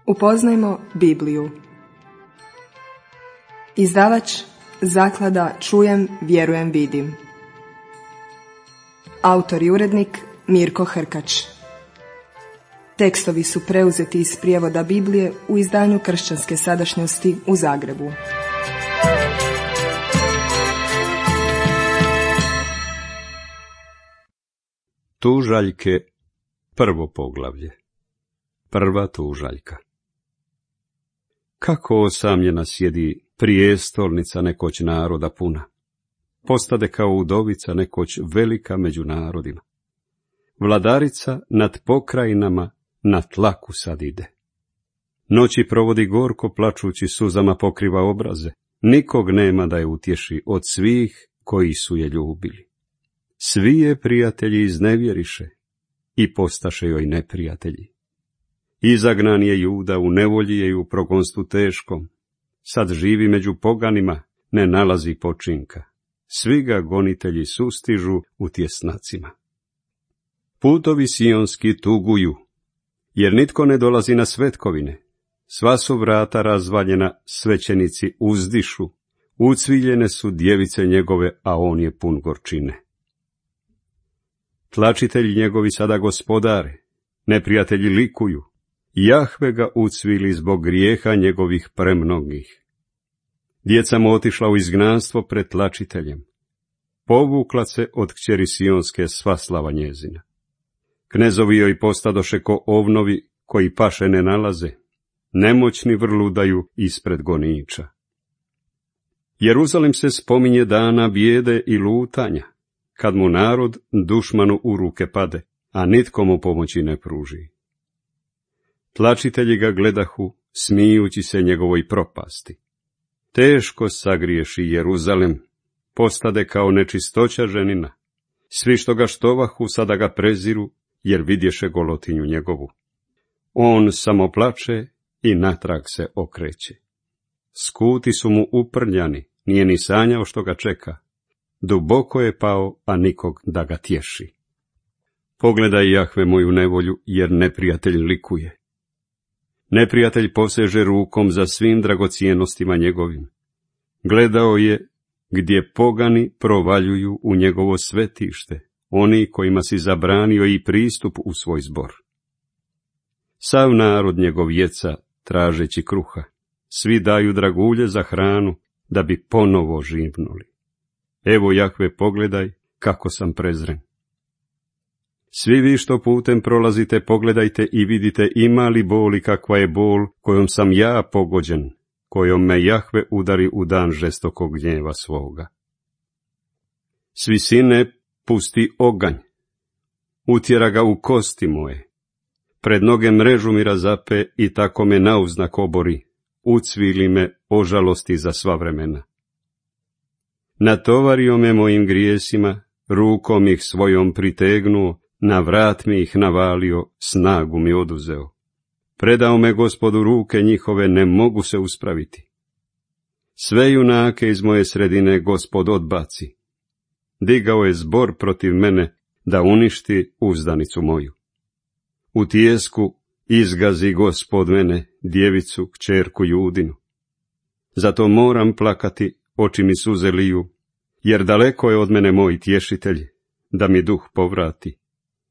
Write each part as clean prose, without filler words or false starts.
Upoznajmo Bibliju. Izdavač Zaklada Čujem, vjerujem, vidim. Autor i urednik Mirko Hrkač. Tekstovi su preuzeti iz prijevoda Biblije u izdanju Kršćanske sadašnjosti u Zagrebu. Tužaljke, prvo poglavlje. Prva tužaljka. Kako osamljena sjedi prijestolnica nekoć naroda puna, postade kao udovica nekoć velika među narodima. Vladarica nad pokrajinama na tlaku sad ide. Noći provodi gorko, plačući suzama pokriva obraze, nikog nema da je utješi od svih koji su je ljubili. Svi je prijatelji iznevjeriše i postaše joj neprijatelji. Izagnan je Juda, u nevolji je i u progonstvu teškom. Sad živi među poganima, ne nalazi počinka. Svi ga gonitelji sustižu u tjesnacima. Putovi sionski tuguju, jer nitko ne dolazi na svetkovine. Sva su vrata razvaljena, svećenici uzdišu. Ucviljene su djevice njegove, a on je pun gorčine. Tlačitelji njegovi sada gospodare, neprijatelji likuju. Jahve ga ucvili zbog grijeha njegovih premnogih. Djeca mu otišla u izgnanstvo pred tlačiteljem. Povukla se od kćeri sionske sva slava njezina. Knezovi joj postadoše ko ovnovi koji paše ne nalaze. Nemoćni vrludaju ispred goniča. Jeruzalem se spominje dana bijede i lutanja, kad mu narod dušmanu u ruke pade, a nitko mu pomoći ne pruži. Tlačitelji ga gledahu, smijući se njegovoj propasti. Teško sagriješi Jeruzalem, postade kao nečistoća ženina. Svi što ga štovahu sada ga preziru, jer vidješe golotinju njegovu. On samo plače i natrag se okreće. Skuti su mu uprljani, nije ni sanjao što ga čeka. Duboko je pao, a nikog da ga tješi. Pogledaj, Jahve, moju nevolju, jer neprijatelj likuje. Neprijatelj poseže rukom za svim dragocijenostima njegovim. Gledao je gdje pogani provaljuju u njegovo svetište, oni kojima si zabranio i pristup u svoj zbor. Sav narod njegov jeca, tražeći kruha. Svi daju dragulje za hranu, da bi ponovo živnuli. Evo, Jahve, pogledaj kako sam prezren. Svi vi što putem prolazite, pogledajte i vidite ima li boli kakva je bol kojom sam ja pogođen, kojom me Jahve udari u dan žestokog gnjeva svoga. S visine pusti oganj, utjera ga u kosti moje, pred noge mrežu mi razape i tako me nauznak obori, ucvili me ožalosti za sva vremena. Natovario me mojim grijesima, rukom ih svojom pritegnuo, na vrat mi ih navalio, snagu mi oduzeo. Predao me Gospodu ruke njihove, ne mogu se uspraviti. Sve junake iz moje sredine Gospod odbaci. Digao je zbor protiv mene, da uništi uzdanicu moju. U tijesku izgazi Gospod mene, djevicu, kćerku Judinu. Zato moram plakati, oči mi suze liju, jer daleko je od mene moj tješitelj, da mi duh povrati.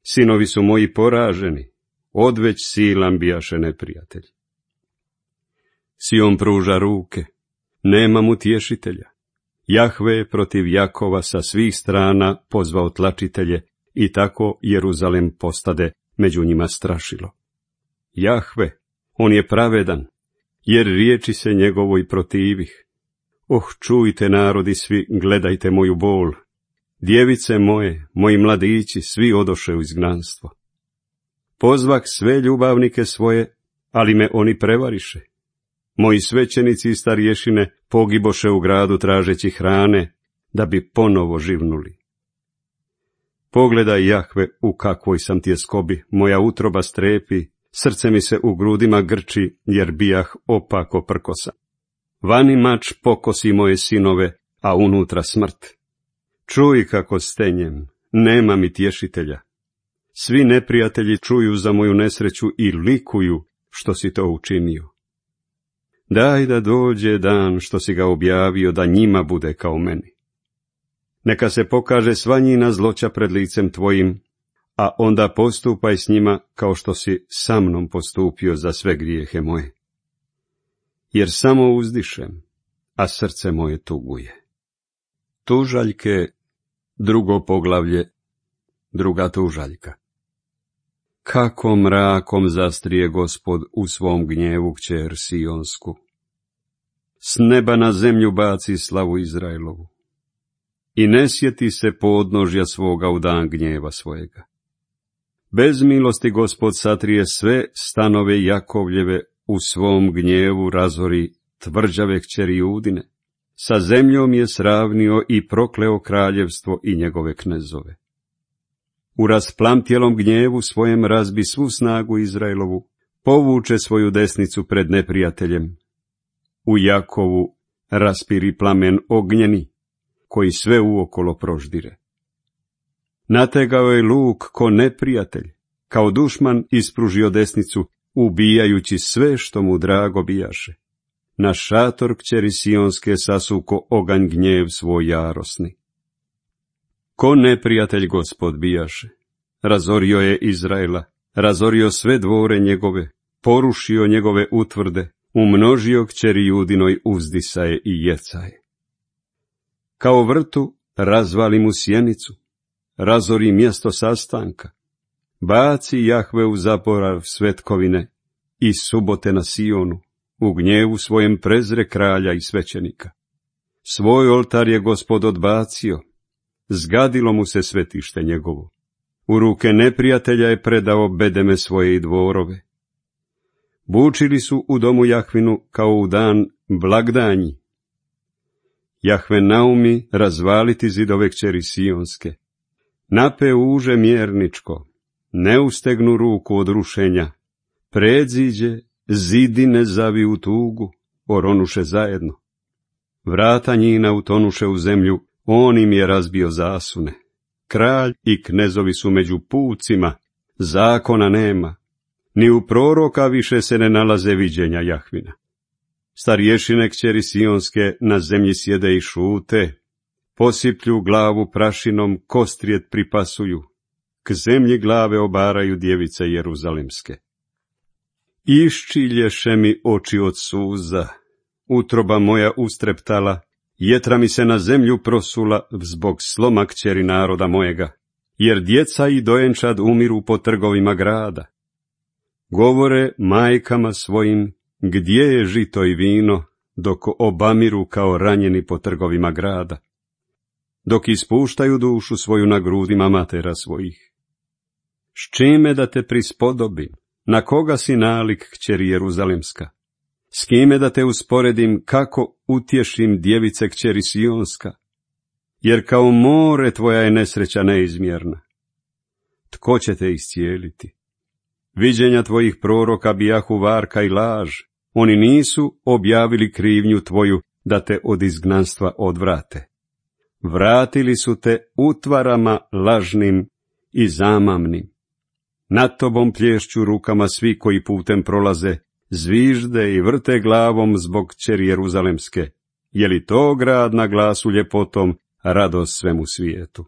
Sinovi su moji poraženi, odveć silan bijaše neprijatelj. Sion pruža ruke, nemam utješitelja. Jahve je protiv Jakova sa svih strana pozvao tlačitelje i tako Jeruzalem postade među njima strašilo. Jahve, on je pravedan, jer riječi se njegovoj protivih. Čujte narodi svi, gledajte moju bol. Djevice moje, moji mladići, svi odoše u izgnanstvo. Pozvak sve ljubavnike svoje, ali me oni prevariše. Moji svećenici i starješine pogiboše u gradu tražeći hrane, da bi ponovo živnuli. Pogledaj, Jahve, u kakvoj sam tjeskobi, moja utroba strepi, srce mi se u grudima grči, jer bijah opako prkosa. Vani mač pokosi moje sinove, a unutra smrt. Čuj kako stenjem, nema mi tješitelja. Svi neprijatelji čuju za moju nesreću i likuju, što si to učinio. Daj da dođe dan što si ga objavio da njima bude kao meni. Neka se pokaže sva njina zloća pred licem tvojim, a onda postupaj s njima kao što si sa mnom postupio za sve grijehe moje. Jer samo uzdišem, a srce moje tuguje. Tužaljke, 2. poglavlje, 2. tužaljka. Kako mrakom zastrije Gospod u svom gnjevu kćer Sionsku. S neba na zemlju baci slavu Izraelovu. I ne sjeti se podnožja svoga u dan gnjeva svojega. Bez milosti Gospod satrije sve stanove Jakovljeve, u svom gnjevu razori tvrđave kćeri Judine. Sa zemljom je sravnio i prokleo kraljevstvo i njegove knezove. U rasplamtjelom gnjevu svojem razbi svu snagu Izraelovu, povuče svoju desnicu pred neprijateljem. U Jakovu raspiri plamen ognjeni, koji sve uokolo proždire. Nategao je luk ko neprijatelj, kao dušman ispružio desnicu, ubijajući sve što mu drago bijaše. Na šator kćeri Sionske sasuko oganj gnjev svoj jarosni. Ko neprijatelj Gospod bijaše, razorio je Izraela, razorio sve dvore njegove, porušio njegove utvrde, umnožio kćeri Judinoj uzdisaje i jecaje. Kao vrtu razvali mu sjenicu, razori mjesto sastanka, baci Jahve u zaborav svetkovine i subote na Sionu, u gnjevu svojem prezre kralja i svećenika. Svoj oltar je Gospod odbacio, zgadilo mu se svetište njegovo. U ruke neprijatelja je predao bedeme svoje i dvorove. Bučili su u domu Jahvinu kao u dan blagdanji. Jahve naumi razvaliti zidove kćeri Sionske. Nape uže mjerničko, ne ustegnu ruku od rušenja. Predziđe, zidine zavi u tugu, oronuše zajedno. Vrata njina utonuše u zemlju, on im je razbio zasune. Kralj i knezovi su među pucima, zakona nema. Ni u proroka više se ne nalaze viđenja Jahvina. Starješine kćeri Sionske na zemlji sjede i šute, posiplju glavu prašinom, kostrijet pripasuju, k zemlji glave obaraju djevice jeruzalemske. Iščilješe mi oči od suza, utroba moja ustreptala, jetra mi se na zemlju prosula zbog sloma kćeri naroda mojega, jer djeca i dojenčad umiru po trgovima grada. Govore majkama svojim, gdje je žito i vino, dok obamiru kao ranjeni po trgovima grada, dok ispuštaju dušu svoju na grudima matera svojih. S čime da te prispodobim, na koga si nalik kćeri Jeruzalemska? S kime da te usporedim, kako utješim djevice kćeri Sionska? Jer kao more tvoja je nesreća neizmjerna. Tko će te iscijeliti? Viđenja tvojih proroka bijahu varka i laž, oni nisu objavili krivnju tvoju da te od izgnanstva odvrate. Vratili su te utvarama lažnim i zamamnim. Nad tobom plješću rukama svi koji putem prolaze, zvižde i vrte glavom zbog kćeri Jeruzalemske. Je li to grad na glasu ljepotom, radost svemu svijetu?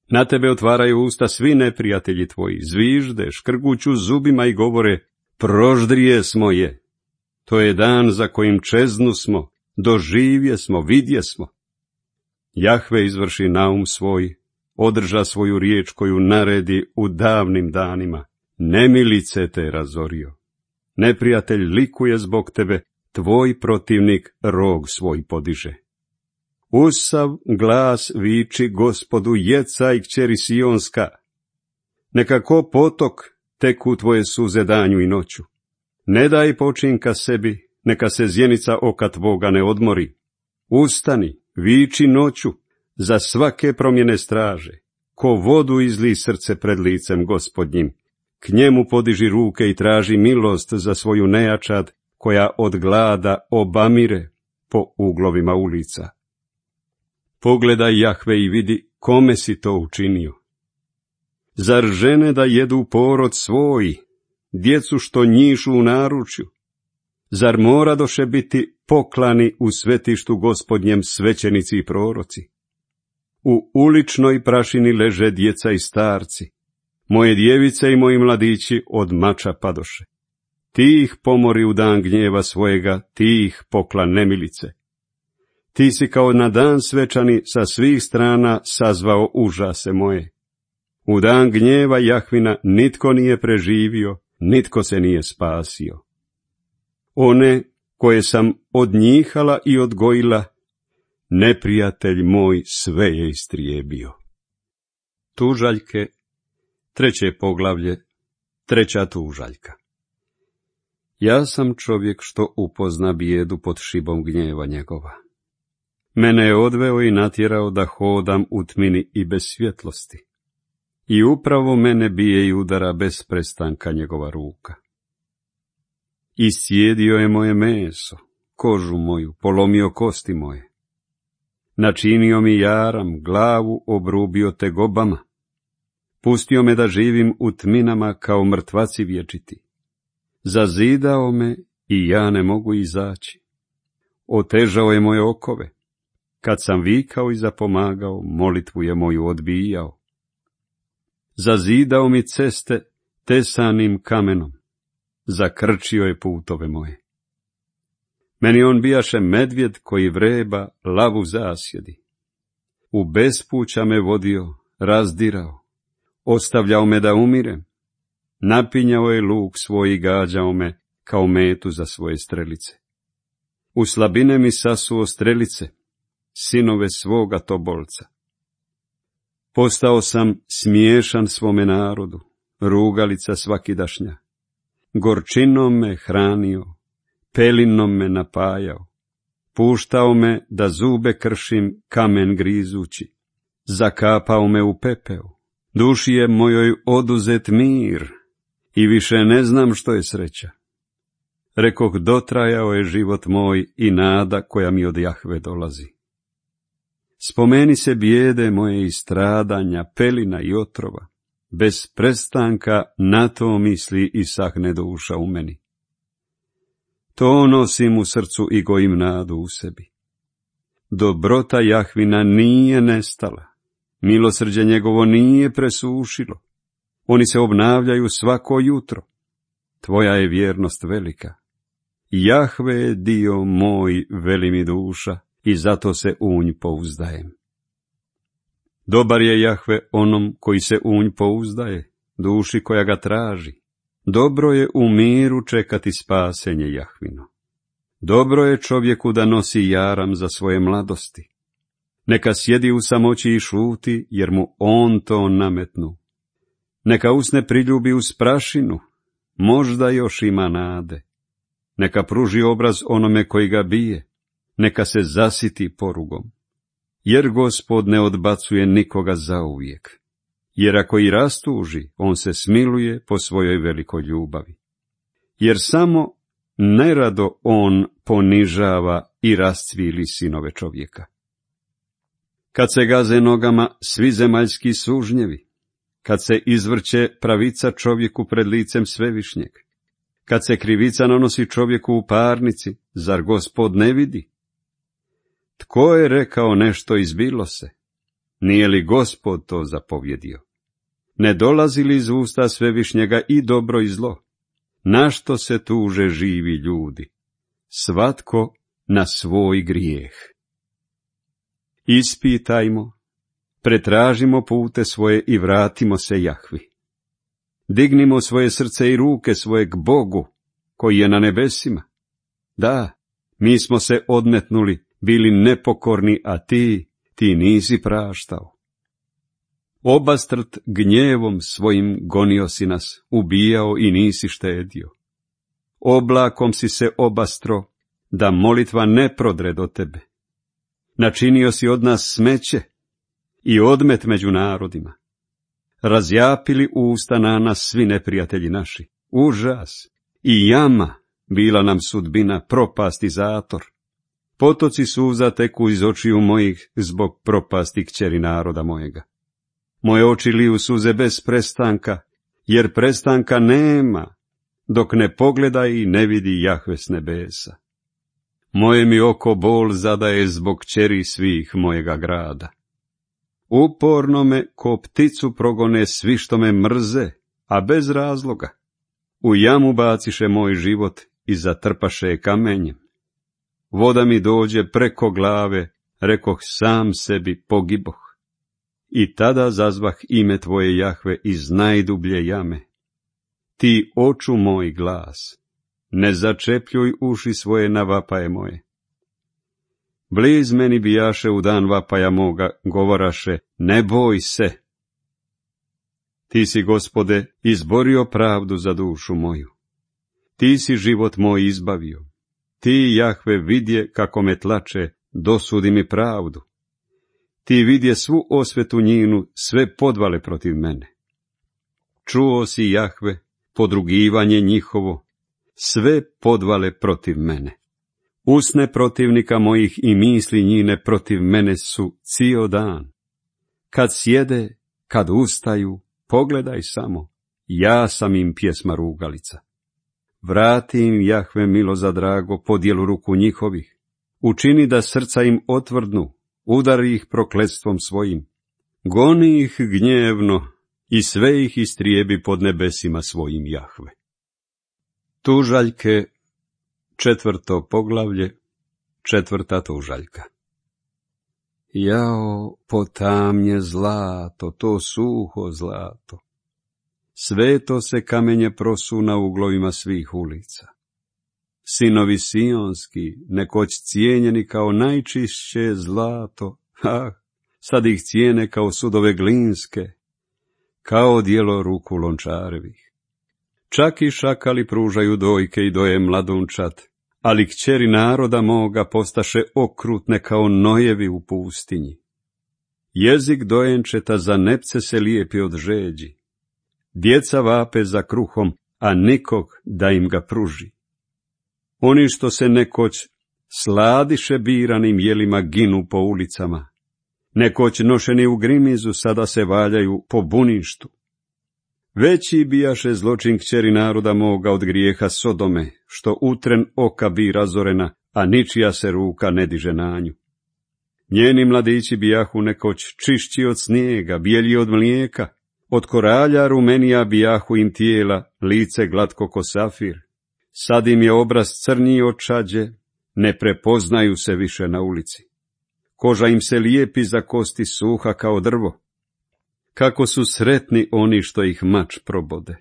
Na tebe otvaraju usta svi neprijatelji tvoji, zvižde, škrguću zubima i govore, proždrije smo je. To je dan za kojim čeznu smo, doživje smo, vidje smo. Jahve izvrši naum svoj, održa svoju riječ koju naredi u davnim danima. Nemilice te razorio. Neprijatelj likuje zbog tebe, tvoj protivnik rog svoj podiže. Usav glas viči Gospodu, jecaj kćeri Sionska. Neka ko potok teku tvoje suze danju i noću. Ne daj počinka sebi, neka se zjenica oka tvoga ne odmori. Ustani, viči noću, za svake promjene straže. Ko vodu izli srce pred licem Gospodnjim. K njemu podiži ruke i traži milost za svoju nejačad, koja od glada obamire po uglovima ulica. Pogledaj Jahve i vidi kome si to učinio. Zar žene da jedu porod svoj, djecu što njišu u naručju? Zar moradoše biti poklani u svetištu Gospodnjem svećenici i proroci? U uličnoj prašini leže djeca i starci, moje djevice i moji mladići od mača padoše. Ti ih pomori u dan gnjeva svojega, ti ih pokla nemilice. Ti si kao na dan svečani sa svih strana sazvao užase moje. U dan gnjeva Jahvina nitko nije preživio, nitko se nije spasio. One koje sam odnjihala i odgojila, neprijatelj moj sve je istrijebio. Tužaljke, 3. poglavlje, 3. tužaljka. Ja sam čovjek što upozna bijedu pod šibom gnjeva njegova. Mene je odveo i natjerao da hodam u tmini i bez svjetlosti. I upravo mene bije i udara bez prestanka njegova ruka. Iscijedio je moje meso, kožu moju, polomio kosti moje. Načinio mi jaram, glavu obrubio tegobama. Pustio me da živim u tminama kao mrtvaci vječiti. Zazidao me i ja ne mogu izaći. Otežao je moje okove. Kad sam vikao i zapomagao, molitvu je moju odbijao. Zazidao mi ceste tesanim kamenom. Zakrčio je putove moje. Meni on bijaše medvjed koji vreba, lavu zasjedi. U bespuća me vodio, razdirao. Ostavljao me da umirem. Napinjao je luk svoj i gađao me kao metu za svoje strelice. U slabine mi sasuo strelice, sinove svoga tobolca. Postao sam smiješan svome narodu, rugalica svakidašnja. Gorčinom me hranio, pelinom me napajao. Puštao me da zube kršim kamen grizući. Zakapao me u pepeo. Duši je mojoj oduzet mir i više ne znam što je sreća. Rekoh, dotrajao je život moj i nada koja mi od Jahve dolazi. Spomeni se bijede moje i stradanja, pelina i otrova. Bez prestanka na to misli i sahne duša u meni. To nosim u srcu i gojim nadu u sebi. Dobrota Jahvina nije nestala. Milosrđe njegovo nije presušilo. Oni se obnavljaju svako jutro. Tvoja je vjernost velika. Jahve je dio moj, veli mi duša, i zato se u nj pouzdajem. Dobar je Jahve onom koji se u nj pouzdaje, duši koja ga traži. Dobro je u miru čekati spasenje Jahvino. Dobro je čovjeku da nosi jaram za svoje mladosti. Neka sjedi u samoći i šuti, jer mu on to nametnu. Neka usne priljubi uz prašinu, možda još ima nade. Neka pruži obraz onome koji ga bije, neka se zasiti porugom. Jer Gospod ne odbacuje nikoga zauvijek. Jer ako i rastuži, on se smiluje po svojoj velikoj ljubavi. Jer samo nerado on ponižava i rascvili sinove čovjeka. Kad se gaze nogama svi zemaljski sužnjevi, kad se izvrće pravica čovjeku pred licem Svevišnjeg, kad se krivica nanosi čovjeku u parnici, zar Gospod ne vidi? Tko je rekao nešto izbilo se? Nije li Gospod to zapovjedio? Ne dolazi li iz usta Svevišnjega i dobro i zlo? Na što se tuže živi ljudi? Svatko na svoj grijeh. Ispitajmo, pretražimo pute svoje i vratimo se Jahvi. Dignimo svoje srce i ruke svoje k Bogu, koji je na nebesima. Da, mi smo se odmetnuli, bili nepokorni, a ti nisi praštao. Obastrt gnjevom svojim gonio si nas, ubijao i nisi štedio. Oblakom si se obastro, da molitva ne prodre do tebe. Načinio si od nas smeće i odmet među narodima. Razjapili usta na nas svi neprijatelji naši. Užas i jama bila nam sudbina, propast i zator. Potoci suza teku iz očiju mojih zbog propasti kćeri naroda mojega. Moje oči liju suze bez prestanka, jer prestanka nema. dok ne pogleda i ne vidi Jahve s nebesa. Moje mi oko bol zadaje zbog kćeri svih mojega grada. Uporno me ko pticu progone svi što me mrze, a bez razloga. U jamu baciše moj život i zatrpaše kamenjem. Voda mi dođe preko glave, rekoh sam sebi pogiboh. I tada zazvah ime tvoje Jahve iz najdublje jame. Ti oču moj glas, ne začepljuj uši svoje na vapaje moje. Bliz meni bijaše u dan vapaja moga, govoraše, ne boj se. Ti si, Gospode, izborio pravdu za dušu moju. Ti si život moj izbavio. Ti, Jahve, vidje kako me tlače, dosudi mi pravdu. Ti vidje svu osvetu njinu, sve podvale protiv mene. Čuo si, Jahve, podrugivanje njihovo, sve podvale protiv mene. Usne protivnika mojih i misli njine protiv mene su cijel dan. Kad sjede, kad ustaju, pogledaj samo, ja sam im pjesma rugalica. Vrati im, Jahve, milo za drago, podjelu ruku njihovih. Učini da srca im otvrdnu, udari ih prokletstvom svojim. Goni ih gnjevno i sve ih istrijebi pod nebesima svojim, Jahve. Tužaljke, 4. poglavlje, 4. tužaljka. Jao, potamnje zlato, to suho zlato. Sveto se kamenje prosu na uglovima svih ulica. Sinovi sionski, nekoć cijenjeni kao najčišće zlato, sad ih cijene kao sudove glinske, kao djelo ruku lončarevih. Čak i šakali pružaju dojke i doje mladunčad, ali kćeri naroda moga postaše okrutne kao nojevi u pustinji. Jezik dojenčeta za nepce se lijepi od žeđi. Djeca vape za kruhom, a nikog da im ga pruži. Oni što se nekoć sladiše biranim jelima ginu po ulicama, nekoć nošeni u grimizu sada se valjaju po buništu. Veći bijaše zločin kćeri naroda moga od grijeha Sodome, što utren oka bi razorena, a ničija se ruka ne diže na nju. Njeni mladići bijahu nekoć čišći od snijega, bijelji od mlijeka, od koralja rumenija bijahu im tijela, lice glatko ko safir. Sad im je obraz crniji od čađe, ne prepoznaju se više na ulici. Koža im se lijepi za kosti, suha kao drvo. Kako su sretni oni što ih mač probode.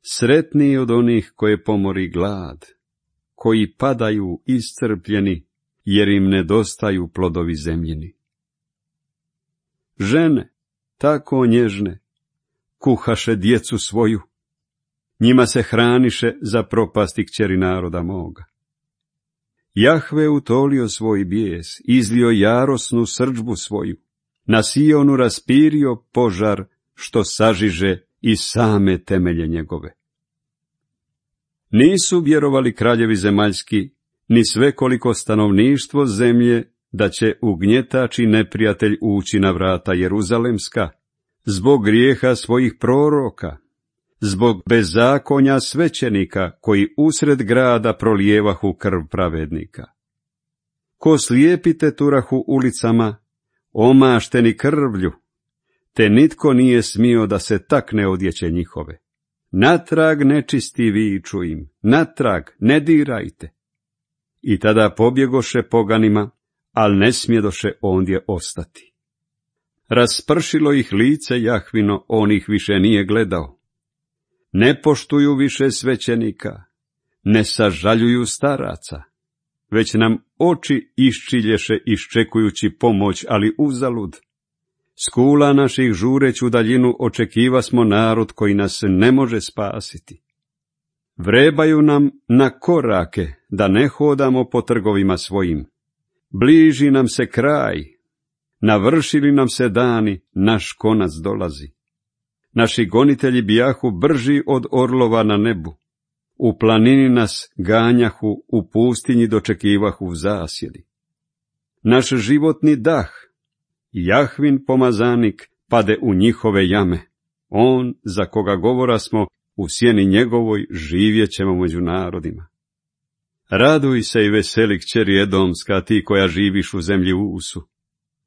Sretniji od onih koje pomori glad, koji padaju iscrpljeni, jer im nedostaju plodovi zemljini. Žene, tako nježne, kuhaše djecu svoju, njima se hraniše za propasti kćeri naroda moga. Jahve utolio svoj bijes, izlio jarosnu srdžbu svoju, na Sionu raspirio požar, što sažiže i same temelje njegove. Nisu vjerovali kraljevi zemaljski, ni svekoliko stanovništvo zemlje, da će ugnjetač i neprijatelj ući na vrata Jeruzalemska, zbog grijeha svojih proroka, zbog bezakonja svećenika, koji usred grada prolijevahu krv pravednika. Ko slijepi teturahu ulicama, omašteni krvlju, te nitko nije smio da se takne odjeće njihove. Natrag nečisti viču im, natrag ne dirajte. I tada pobjegoše poganima, al ne smjedoše ondje ostati. Raspršilo ih lice Jahvino, on ih više nije gledao. Ne poštuju više svećenika, ne sažaljuju staraca, već nam oči iščilješe iščekujući pomoć, ali uzalud. S kula naših žureć u daljinu očekiva smo narod koji nas ne može spasiti. Vrebaju nam na korake da ne hodamo po trgovima svojim. Bliži nam se kraj, navršili nam se dani, naš konac dolazi. Naši gonitelji bijahu brži od orlova na nebu. U planini nas ganjahu, u pustinji dočekivahu zasjedi. Naš životni dah, Jahvin pomazanik, pade u njihove jame. On, za koga govora smo, u sjeni njegovoj živjet ćemo među narodima. Raduj se i veseli kćeri Edomska, ti koja živiš u zemlji Usu.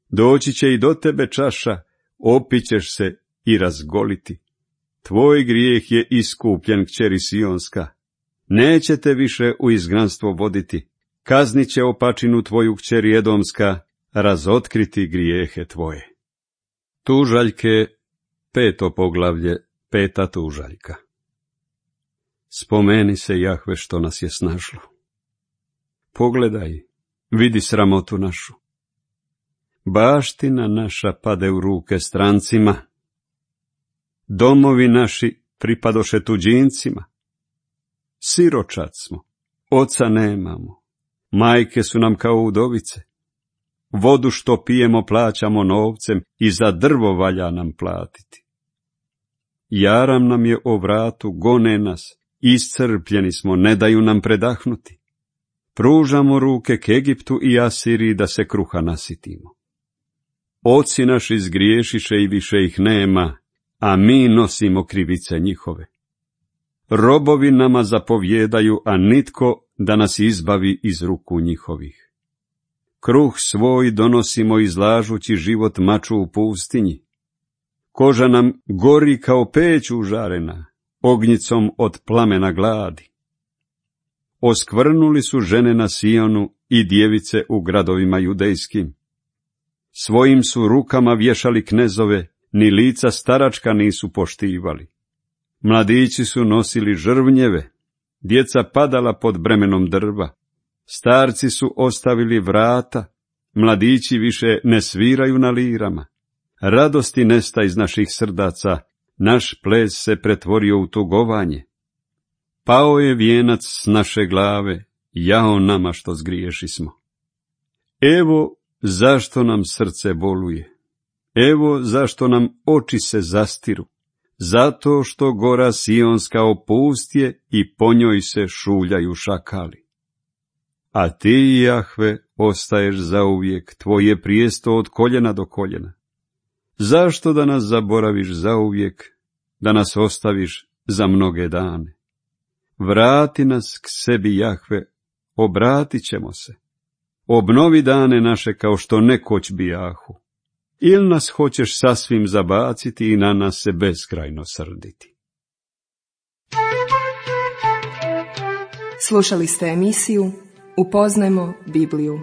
Doći će i do tebe čaša, opićeš se i razgoliti. Tvoj grijeh je iskupljen, kćeri Sionska. Neće te više u izgnanstvo voditi. Kaznit će opačinu tvoju, kćeri Edomska, razotkriti grijehe tvoje. Tužaljke, 5. poglavlje, 5. tužaljka. Spomeni se, Jahve, što nas je snašlo. Pogledaj, vidi sramotu našu. Baština naša pade u ruke strancima. Domovi naši pripadoše tuđincima. Siročad smo, oca nemamo, majke su nam kao udovice. Vodu što pijemo plaćamo novcem i za drvo valja nam platiti. Jaram nam je o vratu, gone nas, iscrpljeni smo, ne daju nam predahnuti. Pružamo ruke k Egiptu i Asiriji da se kruha nasitimo. Oci naši zgriješiše i više ih nema, a mi nosimo krivice njihove. Robovi nama zapovjedaju, a nitko da nas izbavi iz ruku njihovih. Kruh svoj donosimo izlažući život maču u pustinji. Koža nam gori kao peć užarena, ognjicom od plamena gladi. Oskvrnuli su žene na Sionu i djevice u gradovima judejskim. Svojim su rukama vješali knezove, ni lica staračka nisu poštivali. Mladići su nosili žrvnjeve, djeca padala pod bremenom drva. Starci su ostavili vrata, mladići više ne sviraju na lirama. Radosti nesta iz naših srdaca, naš ples se pretvorio u tugovanje. Pao je vijenac s naše glave, jao nama što zgriješismo. Evo zašto nam srce boluje, evo zašto nam oči se zastiru, zato što gora Sionska opustje i po njoj se šuljaju šakali. A ti, Jahve, ostaješ zauvijek, tvoje prijesto od koljena do koljena. Zašto da nas zaboraviš zauvijek, da nas ostaviš za mnoge dane? Vrati nas k sebi, Jahve, obratit ćemo se. Obnovi dane naše kao što nekoć bijahu. Ili nas hoćeš sasvim zabaciti i na nas se beskrajno srditi. Slušali ste emisiju Upoznajmo Bibliju.